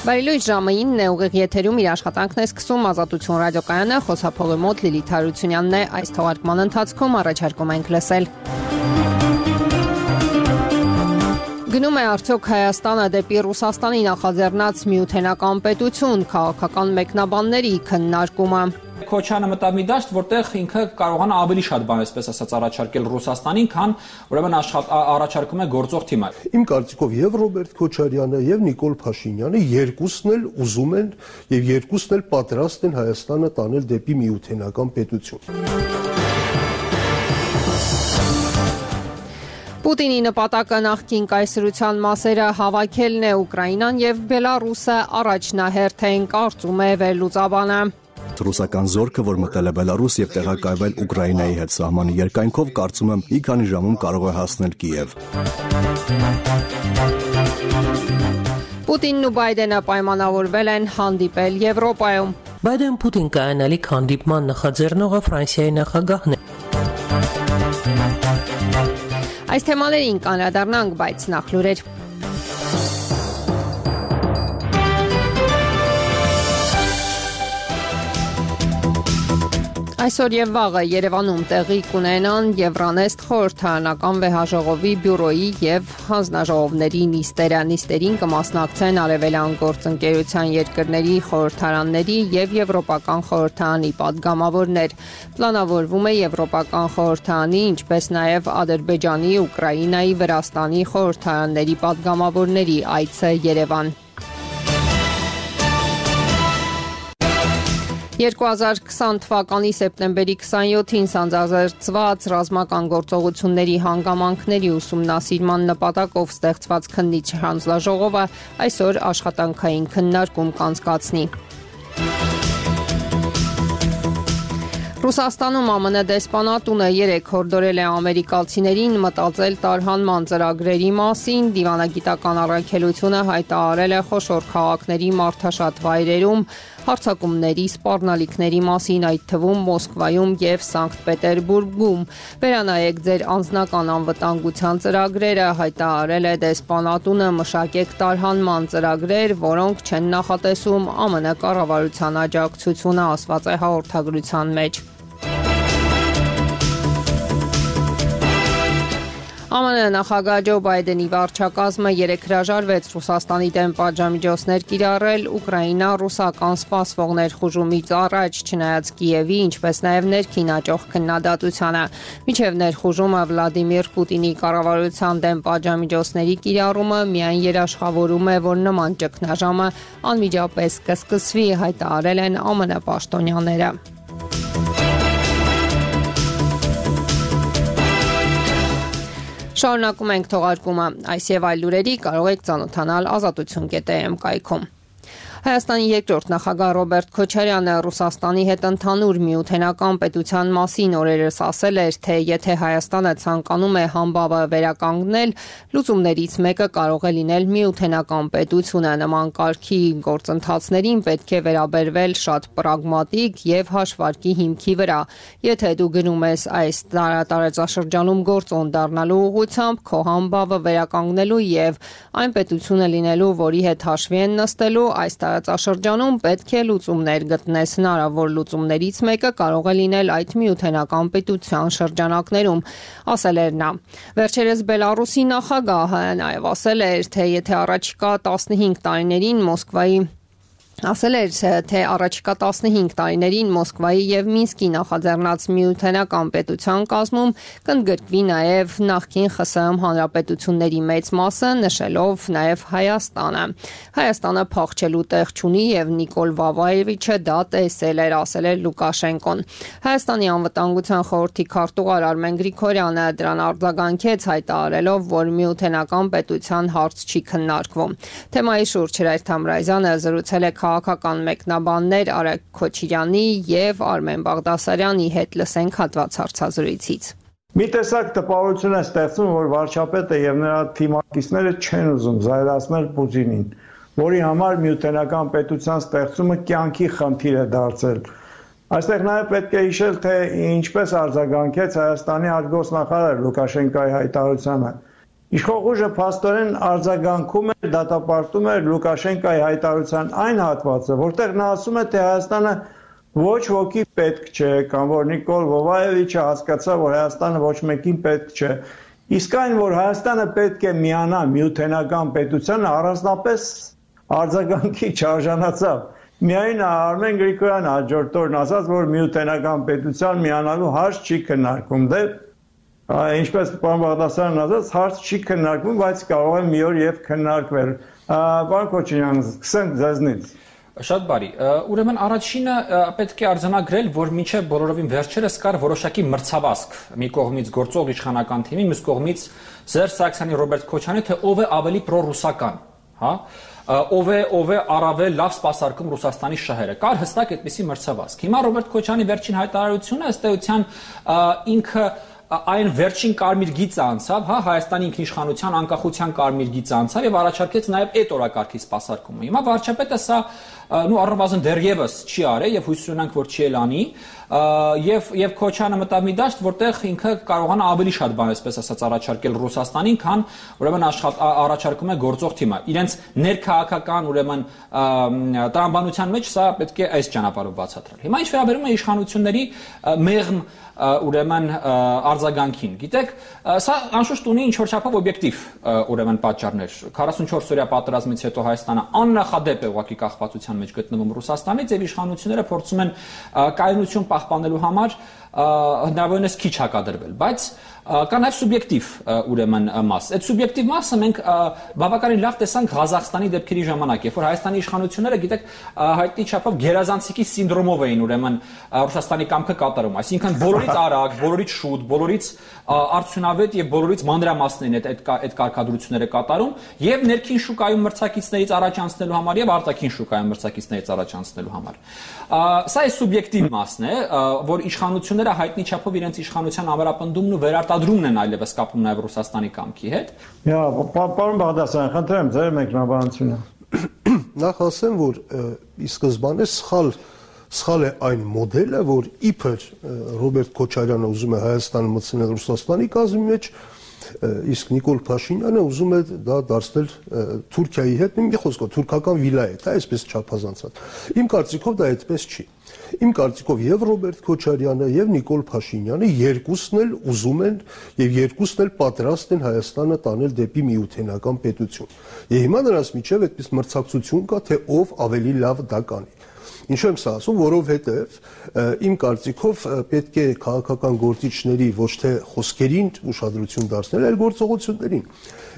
Բարելույթ ժամը 9-ն է, ուղիղ եթերում իր աշխատանքն է սկսում Ազատություն ռադիոկայանը, խոսափողի մոտ Լիլիթ Հարությունյանն է, այս թողարկման ընթացքում առաջարկում ենք լսել. Գնում է արդյոք Հայաստանը դեպի Ռուսաստանի նախաձեռնած միութենական պետություն, քաղաքական մեկնաբանների քննարկումը. Քոչյանը մտավ մի դաշտ, որտեղ ինքը կարողանա ավելի շատ բան, այսպես ասած, առաջարկել Ռուսաստանին, քան ուրեմն առաջարկում է գործող թիմը։ Իմ կարծիքով եւ Ռոբերտ Քոչարյանը եւ Նիկոլ Փաշինյանը երկուսն էլ ուզում են եւ երկուսն էլ պատրաստ են Հայաստանը տանել դեպի միութենական պետություն։ Պուտինի նպատակը նախկին կայսրության մասերը հավաքելն է, Ուկրաինան եւ Բելարուսը առաջնահերթ են, կարծում է վերլուծաբանը։ Ռուսական զորքը, որ մտել է Բելարուս եւ տեղակայվել Ուկրաինայի հետ սահմանի երկայնքով, կարծում եմ մի քանի ժամում կարող է հասնել Կիև։ Պուտինն ու Բայդենը պայմանավորվել են հանդիպել Եվրոպայում։ Բայդեն-Պուտին կայանալիք հանդիպման նախաձեռնողը Ֆրանսիայի նախագահն է։ Այս թեմաներին կանրադառնանք, բայց նախ լուրեր։ Այսօր եւ վաղը Երևանում տեղի կունենան Եվրանեստ խորհրդարանական վեհաժողովի բյուրոյի եւ հանձնաժողովների նիստերը։ Նիստերին կմասնակցեն Արևելյան գործընկերության երկրների խորհրդարանների եւ Եվրոպական խորհրդարանի падգամավորներ։ Պլանավորվում է Եվրոպական խորհրդարանի, ինչպես նաեւ Ադրբեջանի, Ուկրաինայի, Վրաստանի խորհրդարանների падգամավորների այցը Երևան։ 2020 թվականի սեպտեմբերի 27-ին սանձազերծված ռազմական գործողությունների հանգամանքների ուսումնասիրման նպատակով ստեղծված քննիչ հանձնաժողովը այսօր աշխատանքային քննարկում կանցկացնի։ Ռուսաստանում ԱՄՆ դեսպանատունը 3 հորդորել է ամերիկացիներին մտածել տարհանման ծրագրերի մասին, դիվանագիտական առաքելությունը հայտարարել է խոշոր քաղաքների մարդաշատ վայրերում հարձակումների սպառնալիքների մասին, այդ թվում Մոսկվայում եւ Սանկտ Պետերբուրգում։ Վերանայեք ձեր անձնական անվտանգության ծրագրերը, հայտարարել է դեսպանատունը, մշակեք տարհանման ծրագրեր, որոնք չեն նախատեսում ԱՄՆ կառավարության աջակցությունը, ասված է հաղորդագրության մեջ։ ԱՄՆ նախագահ Ջո Բայդենի վարչակազմը 3 հրաժարվեց Ռուսաստանի դեմ պատժամիջոցներ կիրառել Ուկրաինա-ռուսական սպասվող ներխուժումից առաջ, չնայած Կիևի, ինչպես նաև ներքին աճող քննադատությանը։ Մինչև ներխուժումը Վլադիմիր Պուտինի կառավարության դեմ պատժամիջոցների կիրառումը միայն երաշխավորում է, որ նման ճգնաժամը անմիջապես կսկսվի, հայտարարել են ԱՄՆ պաշտոնյաները։ Շարունակում ենք թողարկումը, այս եւ այլ լուրերի կարող եք ծանոթանալ azatutun.am կայքում։ Հայաստանի երկրորդ նախագահ Ռոբերտ Քոչարյանը Ռուսաստանի հետ ընդհանուր միութենական պետության մասին օրերս ասել էր, թե եթե Հայաստանը ցանկանում է համբավը վերականգնել, լուծումներից մեկը կարող է լինել միութենական պետությունը։ Նման կարգի գործընթացներին պետք է վերաբերվել շատ պրագմատիկ եւ հաշվարկի հիմքի վրա։ Եթե դու գնում ես այս տարածաշրջանում գործոն դառնալու ուղղությամբ, քո համբավը վերականգնելու եւ այն պետությունը լինելու, որի հետ հաշվի են նստելու, այս տարածաշրջանում պետք է լուծումներ գտնես, հնարավոր լուծումներից մեկը կարող է լինել այդ միութենական պետության շրջանակներում, ասել էր նա։ Վերջերս Բելարուսի նախագահը նաև ասել էր, թե եթե առաջիկա 15 տարիներին Մոսկվայի եւ Մինսկի նախաձեռնած միութենական պետության կազմում կընդգրկվի նաեւ նախկին ԽՍՀՄ հանրապետությունների մեծ մասը, նշելով նաեւ Հայաստանը։ Հայաստանը փախչելու տեղ չունի եւ Նիկոլ Վավայևիչը դա տեսել էր, ասել էր Լուկաշենկոն։ Հայաստանի անվտանգության խորհրդի քարտուղար Արմեն Գրիգորյանը դրան արձագանքեց, հայտարարելով, որ միութենական պետության հարց չի քննարկվում։ Թեմայի շուրջ Հրայր Թամրազյանը զրուցել է քաղաքական մեկնաբաններ Արեգ Քոչիրյանի եւ Արմեն Բաղդասարյանի հետ, լսենք հատված հարցազրույցից։ Մի տեսակ տպավորություն է ստեղծում, որ վարչապետը եւ նրա թիմակիցները չեն ուզում զայրացնել Պուտինին, որի համար միութենական պետության ստեղծումը կյանքի խնդիր է դարձել։ Այստեղ նաև պետք է հիշել, թե ինչպես արձագանքեց Հայաստանի արտգործնախարար Լուկաշենկոյի հայտարարությանը։ Իշխող ուժը փաստորեն արձագանքում էր, դատապարտում էր Լուկաշենկոյի հայտարարության այն հատվածը, որտեղ նա ասում է, թե Հայաստանը ոչ ոքի պետք չէ, կամ որ Նիկոլ Վովայևիչը հասկացավ, որ Հայաստանը ոչ մեկին պետք չէ։ Իսկ այն, որ Հայաստանը պետք է միանա միութենական պետությանը, առանձնապես արձագանքի չարժանացավ։ Միայն Արմեն Գրիգորյանը հաջորդ օրն ասաց, որ միութենական պետության միանալու հարց չի քննարկվում։ Դե ինչպես պարոն Բաղդասարյանն ասաց, հարց չի քննարկվում, բայց կարող է մի օր եւ քննարկվել։ Պարոն Քոչարյան, սկսենք ձեզնից։ Շատ բարի։ Ուրեմն առաջինը պետք է արձանագրել, որ մինչև բոլորովին վերջերս կար որոշակի մրցավազք մի կողմից գործող իշխանական թիմի, մյուս կողմից Սերժ Սարգսյանի, Ռոբերտ Քոչարյանի, թե ով է ավելի պրոռուսական, հա, ով է առավել լավ սպասարկում Ռուսաստանի շահերը։ Կար հստակ այդպիսի մրցավազք։ Հիմա Ռոբերտ Քոչարյանի վերջին հայտարարությունը ըստ էության ինքը այն վերջին կարմիր գիծը անցավ, հա, Հայաստանի ինքնիշխանության անկախության կարմիր գիծը անցավ եւ առաջարկեց նաեւ այդ օրակարգի սպասարկումը։ Հիմա վարչապետը սա առնվազն դեռևս չի արել եւ հույս ունենք, որ չի էլ անի, եւ Քոչյանը մտավ մի դաշտ, որտեղ ինքը կարողանա ավելի շատ բան, այսպես ասած, առաջարկել Ռուսաստանին, քան ուրեմն առաջարկում է գործող թիմը։ Իրենց ներքաղաքական ուրեմն տրամաբանության մեջ սա պետք է այս ճանապարհով բացատրել։ Հիմա ինչ վերաբերում է իշխանությունների մեղմ ուրեմն արձագանքին։ Գիտեք, սա անշուշտ ունի ինչ-որ չափով օբյեկտիվ ուրեմն պատճառներ։ 44-օրյա պատերազմից հետո Հայաստանը աննախադեպ է ուղղակի կախվածության մեջ գտնվում Ռուսաստանից եւ իշխանությունները փորձում են կայունություն պահպանելու համար հնարավորինս քիչ հակադրվել, բայց կա նաև սուբյեկտիվ ուրեմն մաս։ Այդ սուբյեկտիվ մասը մենք բավականին լավ տեսանք Ղազախստանի դեպքերի ժամանակ, երբ որ Հայաստանի իշխանությունները, գիտեք, հայտնի չափով գերազանցիկի սինդրոմով էին ուրեմն Ռուսաստանի կամքը կատարում, այսինքն բոլորից արագ, բոլորից շուտ, բոլորից արդյունավետ եւ բոլորից մանրամասն են այդ կարգադրությունները կատարում եւ ներքին շուկայում մրցակիցներից առաջ անցնելու համար եւ արտաքին շուկայում մրցակիցներից առաջ անցնելու համար։ Սա է սուբյեկտիվ մասն է, որ իշխանությունները հայտնի չափով իրենց իշխանության ամրապնդումն ու վերարտադրումն են այլևս կապում նաեւ Ռուսաստանի կամքի հետ։ Պարոն Բաղդասարյան, խնդրեմ ձեր մեկնաբանությունը։ Նախ ասեմ, որ ի սկզբանե սխալ է այն մոդելը, որ իբր Ռոբերտ Քոչարյանը ուզում է Հայաստանը մտցնել Ռուսաստանի կազմի մեջ, իսկ Նիկոլ Փաշինյանը ուզում է դա դարձնել Թուրքիայի հետ, մի խոսքով թուրքական վիլայետ, այսպես չափազանցած։ Իմ կարծիքով դա այդպես չի։ Իմ կարծիքով եւ Ռոբերտ Քոչարյանը եւ Նիկոլ Փաշինյանը երկուսն էլ ուզում են եւ երկուսն էլ պատրաստ են Հայաստանը տանել դեպի միութենական պետություն։ Եվ հիմա նրանց միջև այդպես մրցակցություն կա, թե ով ավելի լավ դա կանի։ Ինչու եմ սա ասում, որովհետև իմ կարծիքով պետք է քաղաքական գործիչների ոչ թե խոսքերին ուշադրություն դարձնել, այլ գործողություններին։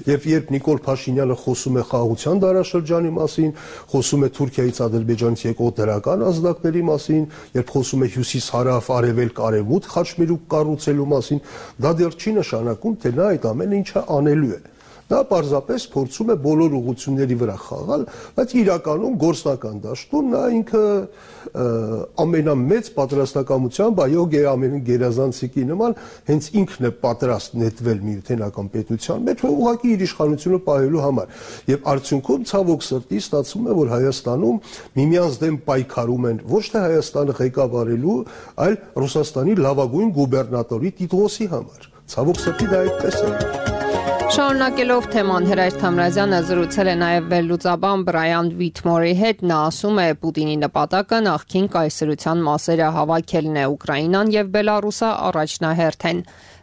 Եվ երբ Նիկոլ Փաշինյանը խոսում է խաղաղության դարաշրջանի մասին, խոսում է Թուրքիայից, Ադրբեջանից եկող դրական ազդակների մասին, երբ խոսում է հյուսիս-հարավ, արևելք-արևմուտք խաչմերուկ կառուցելու մասին, դա դեռ չի նշանակում, թե նա այդ ամեն ինչը անելու է։ Նա պարզապես փորձում է բոլոր ուղղությունների վրա խաղալ, բայց իրականում գործնական դաշտում նա ինքը ամենամեծ պատրաստակամությամբ, այո, գերազանցիկի նման, հենց ինքն է պատրաստ նետվել միութենական պետության մեջ, ուղղակի իր իշխանությունը պահելու համար։ Եվ արդյունքում ցավոք սրտի ստացվում է, որ Հայաստանում միմյանց դեմ պայքարում են ոչ թե Հայաստանը ղեկավարելու, այլ Ռուսաստանի լավագույն գուբերնատորի տիտղոսի համար։ Ցավոք սրտի դա այդպես է։ Շարունակելով թեման, Հրայր Թամրազյանը զրուցել է նաև վերլուծաբան Բրայան Վիթմորի հետ, նա ասում է Պուտինի նպատակը նախկին կայսրության մասերը հավաքելն է, Ուկրաինան եւ Բելարուսը առաջնահերթ են։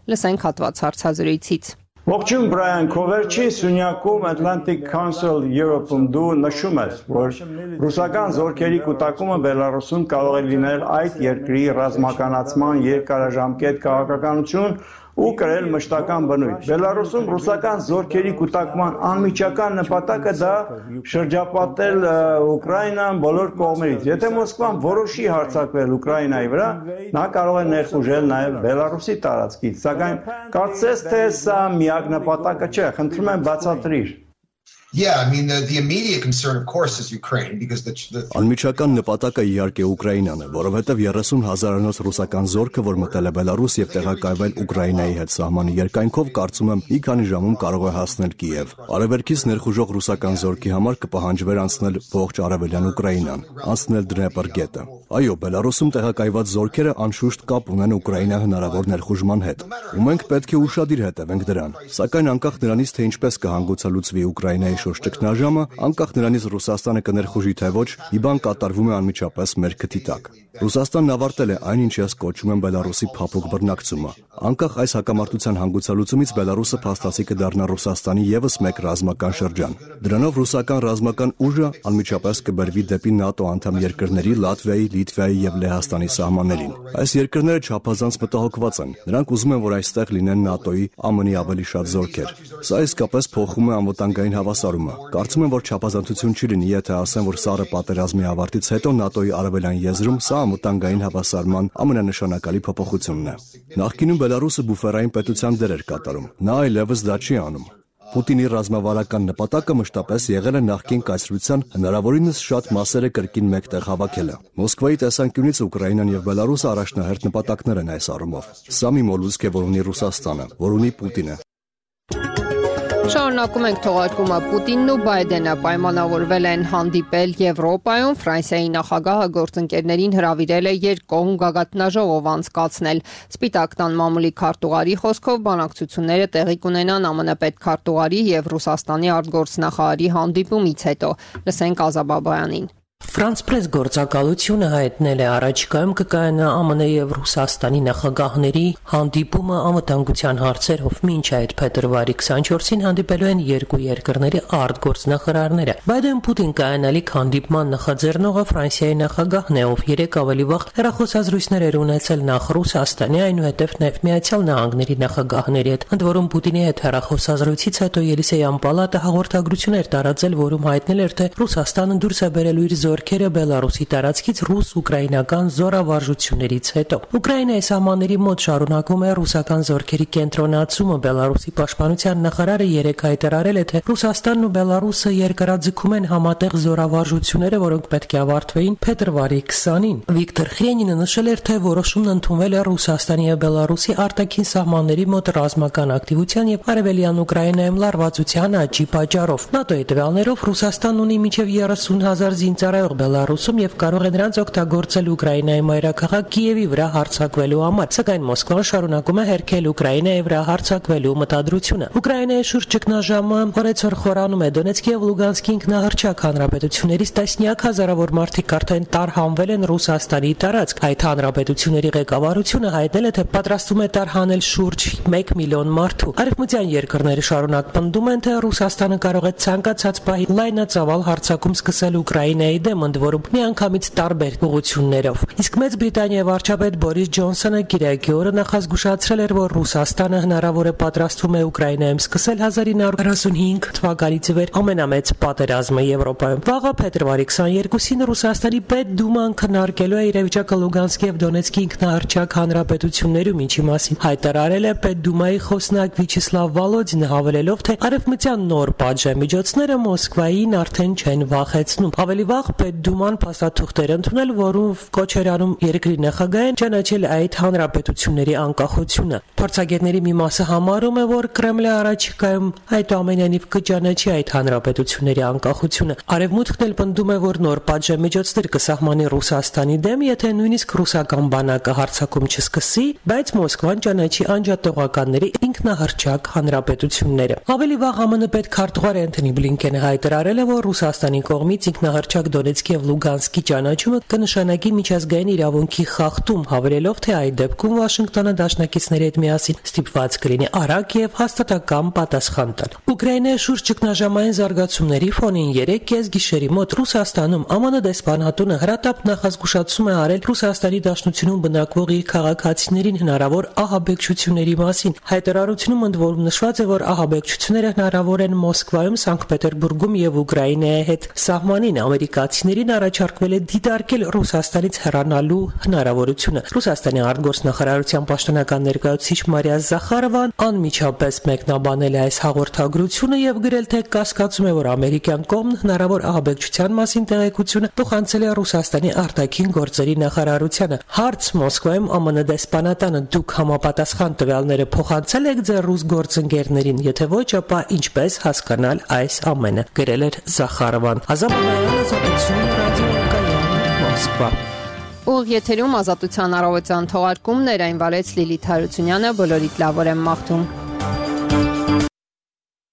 Լսենք հատված հարցազրույցից։ Ողջույն Բրայան, քո վերջի սյունյակում Atlantic Council Europe-ում դու նշում ես, որ ռուսական զորքերի կուտակումը Բելարուսում կարող է լինել այդ երկրի ռազմականացման երկարաժամկետ քաղաքականություն ու կրել մշտական բնույթ։ Բելարուսում ռուսական զորքերի կուտակման անմիջական նպատակը դա շրջապատել Ուկրաինան բոլոր կողմերից։ Եթե Մոսկվան որոշի հարձակվել Ուկրաինայի վրա, նա կարող է ներխուժել նաև Բելարուսի տարածքից, սակայն կարծես թե սա միակ նպատակը չէ, խնդրում եմ բացատրիր։ Yeah, I mean the immediate concern of course is Ukraine because the Անմիջական նպատակը իհարկե Ուկրաինան է, որովհետև 30,000-անոց ռուսական զորքը, որ մտել է Բելարուս եւ տեղակայվել Ուկրաինայի հետ սահմանի երկայնքով, կարծում եմ մի քանի ժամում կարող է հասնել Կիև։ Արևելքից ներխուժող ռուսական զորքի համար կպահանջվեր անցնել ողջ արևելյան Ուկրաինան, անցնել Դնեպր գետը։ Այո, Բելարուսում տեղակայված զորքերը անշուշտ կապ ունեն Ուկրաինա հնարավոր ներխուժման հետ, ու մենք պետք է ուշադիր հետևենք դրան։ Սակայն անկախ նրանից, թե ինչպես կհանգուցալուծվի Ուկրաինայի շուրջ ճգնաժամը, անկախ նրանից Ռուսաստանը կներխուժի թե ոչ, մի բան կատարվում է անմիջապես մեր քթի տակ։ Ռուսաստանն ավարտել է այն, ինչ ես կոչում եմ Բելարուսի փափուկ բռնակցումը։ Անկախ այս հակամարտության հանգուցալուծումից Բելարուսը փաստացի կդառնա Ռուսաստանի եւս մեկ ռազմական շրջան։ Դրանով ռուսական ռազմական ուժը անմիջապես կբերվի դեպի ՆԱՏՕ անդամ երկրների Լատվիայի, Լիտվայի եւ Լեհաստանի սահմաններին։ Այս երկրները չափազանց մտահոգված են։ Նրանք ուզում են, որ այստեղ լինեն ՆԱՏՕ-ի ԱՄՆ-ի ավելի շատ զորքեր։ Սա իսկապես փոխում է անվտանգային հավասարումը։ Կարծում եմ, որ չափազանցություն չի լինի, եթե ասեմ, որ Սառը պատերազմի ավարտից հետո ՆԱՏՕ-ի արևելյան եզրում սա անվտանգային հավասարման ամենանշանակալի փոփոխությունն է։ Նախկինում Բելարուսը բուֆերային պետության դեր էր կատարում։ Նա այլևս դա չի անում։ Պուտինի ռազմավարական նպատակը մշտապես եղել է նախկին կայսրության հնարավորինս շատ մասերը կրկին մեկտեղ հավաքելը։ Մոսկվայի տեսանկյունից Ուկրաինան եւ Բելարուսը առաջնահերթ նպատակներ են այս առումով։ Սա մի մոլուցք է, որ ունի Ռուսաստանը, որ ունի Պուտինը։ Շարունակում ենք թողարկումը։ Պուտինն ու Բայդենը պայմանավորվել են հանդիպել Եվրոպայում։ Ֆրանսիայի նախագահը գործընկերներին հրավիրել է երկկողմ գագաթնաժողով անցկացնել։ Սպիտակ տան մամուլի քարտուղարի խոսքով բանակցությունները տեղի կունենան ԱՄՆ պետքարտուղարի եւ Ռուսաստանի արտգործնախարարի հանդիպումից հետո։ Լսենք Ազաբաբայանին։ Ֆրանս պրես գործակալությունը հայտնել է առաջիկայում կկայանա ԱՄՆ եւ Ռուսաստանի նախագահների հանդիպումը անվտանգության հարցերով։ Մինչ այդ փետրվարի 24-ին հանդիպելու են երկու երկրների արտգործնախարարները։ Բայդեն-Պուտին կայանալիք հանդիպման նախաձեռնողը Ֆրանսիայի նախագահն է, ով երեք ավելի վաղ հեռախոսազրույցներ էր ունեցել նախ Ռուսաստանի, այնուհետև նաև Միացյալ Նահանգների նախագահների հետ։ Ընդ որում Պուտինի հետ հեռախոսազրույցից հետո Ելիսեյան պալատը հաղորդագրություն էր տարածել, որում հայտնել էր, թե Ռուսաստանը դուրս է բերելու իր զորքերը Բելարուսի տարածքից ռուս-ուկրաինական զորավարժություններից հետո։ Ուկրաինայի սահմանների մոտ շարունակվում է ռուսական զորքերի կենտրոնացումը։ Բելարուսի պաշտպանության նախարարը երեկ հայտարարել է, թե Ռուսաստանն ու Բելարուսը երկարաձգում են համատեղ զորավարժությունները, որոնք պետք է ավարտվեին փետրվարի 20-ին։ Վիկտոր Խրենինը նշել էր, թե որոշումն ընդունվել է Ռուսաստանի եւ Բելարուսի արտաքին սահմանների մոտ ռազմական ակտիվության եւ արևելյան Ուկրաինայում լարվածության աճի պատճառով։ ՆԱՏՕ-ի տվյալներով Ռուսաստանն ունի մինչեւ 30,000 զինծառայող Բելարուսում եւ կարող է նրանց օգտագործել Ուկրաինայի մայրաքաղաք Կիևի վրա հարձակվելու համար, սակայն Մոսկվան շարունակում է հերքել Ուկրաինայի վրա հարձակվելու մտադրությունը։ Ուկրաինայի շուրջ ճգնաժամը օրեցօր խորանում է։ Դոնեցկի եւ Լուգանսկի ինքնահռչակ հանրապետություններից տասնյակ հազարավոր մարդիկ արդեն տարհանվել են Ռուսաստանի տարածք։ Այդ հանրապետությունների ղեկավարությունը հայտնել է, թե պատրաստվում է տարհանել շուրջ 1 միլիոն մարդու։ Արևմտյան երկրները շարունակ պնդում են, թե Ռուսաստանը կարող է ցանկացած պահի լայնածավալ հարձակում սկսել Ուկրաինայի դեմ, ընդ որում միանգամից տարբեր ուղղություններով։ Իսկ Մեծ Բրիտանիայի վարչապետ Բորիս Ջոնսոնը գիրակի օրը նախազգուշացրել էր, որ Ռուսաստանը հնարավոր է պատրաստվում է Ուկրաինայում սկսել 1945 թվականից ի վեր ամենամեծ պատերազմը Եվրոպայում։ Վաղը փետրվարի 22-ին Ռուսաստանի Պետդուման քննարկելու է իրավիճակը Լուգանսկի եւ Դոնեցկի ինքնահռչակ հանրապետություններում, ինչի մասին հայտարարել է Պետդումայի խոսնակ Վիչեսլավ Վալոդինը, հավելելով, թե արևմտյան նոր պատժամիջոցները Մոսկվային արդեն չեն վախեցնում։ Ավելի վաղ Պետդուման փաստաթուղթեր ընդունել, որով կոչ էր անում երկրի նախագահին ճանաչել այդ հանրապետությունների անկախությունը։ Փորձագետների մի մասը համարում է, որ Կրեմլը առաջիկայում այդուամենայնիվ կճանաչի այդ հանրապետությունների անկախությունը։ Արևմուտքն էլ պնդում է, որ նոր պատժամիջոցներ կսահմանի Ռուսաստանի դեմ, եթե նույնիսկ ռուսական բանակը հարձակում չսկսի, բայց Մոսկվան ճանաչի անջատողականների ինքնահռչակ հանրապետությունները։ Ավելի վաղ ԱՄՆ պետքարտուղար Անթոնի Բլինկենը հայտարարել է, որ Ռուսաստանի կողմից ինքնահռչակ Դոնեցկի եւ Լուգանսկի ճանաչումը կնշանակի միջազգային իրավունքի խախտում, հավելելով, թե այդ դեպքում Վաշինգտոնը դաշնակիցների հետ միասին ստիպված կլինի արագ եւ հաստատակամ պատասխան տալ։ Ուկրաինայի շուրջ ճգնաժամային զարգացումների ֆոնին 3 կեսգիշերի մոտ Ռուսաստանում ԱՄՆ դեսպանատունը հրատապ նախազգուշացում է արել Ռուսաստանի Դաշնությունում բնակվող իր քաղաքացիներին հնարավոր ահաբեկչությունների մասին։ Հայտարարությունում ընդ որում նշված է, որ ահաբեկչությունները հնարավոր են Մոսկվայում, Սանկտ Պետերբուրգում եւ Ուկրաինայի հետ սահմանին։ Ամերիկացի ամերիկացիներին առաջարկվել է դիտարկել Ռուսաստանից հեռանալու հնարավորությունը։ Ռուսաստանի արտգործնախարարության պաշտոնական ներկայացուցիչ Մարիա Զախարովան անմիջապես մեկնաբանել է այս հաղորդագրությունը եւ գրել, թե կասկածում է, որ ամերիկյան կողմն հնարավոր ահաբեկչության մասին տեղեկությունը փոխանցել է Ռուսաստանի արտաքին գործերի նախարարությանը։ Հարց Մոսկվայում ԱՄՆ դեսպանատանը դուք համապատասխան տվյալները փոխանցել եք ձեր ռուս գործընկերներին, եթե ոչ, ապա ինչպես հասկանալ այս ամենը, գրել էր Զախարովան։ Ազատություն ռադիոկայան Մոսկվա։ Ուղիղ եթերում Ազատության առավոտյան թողարկումներ այն վարեց Լիլիթ Հարությունյանը, բոլորիդ լավ օր եմ մաղթում։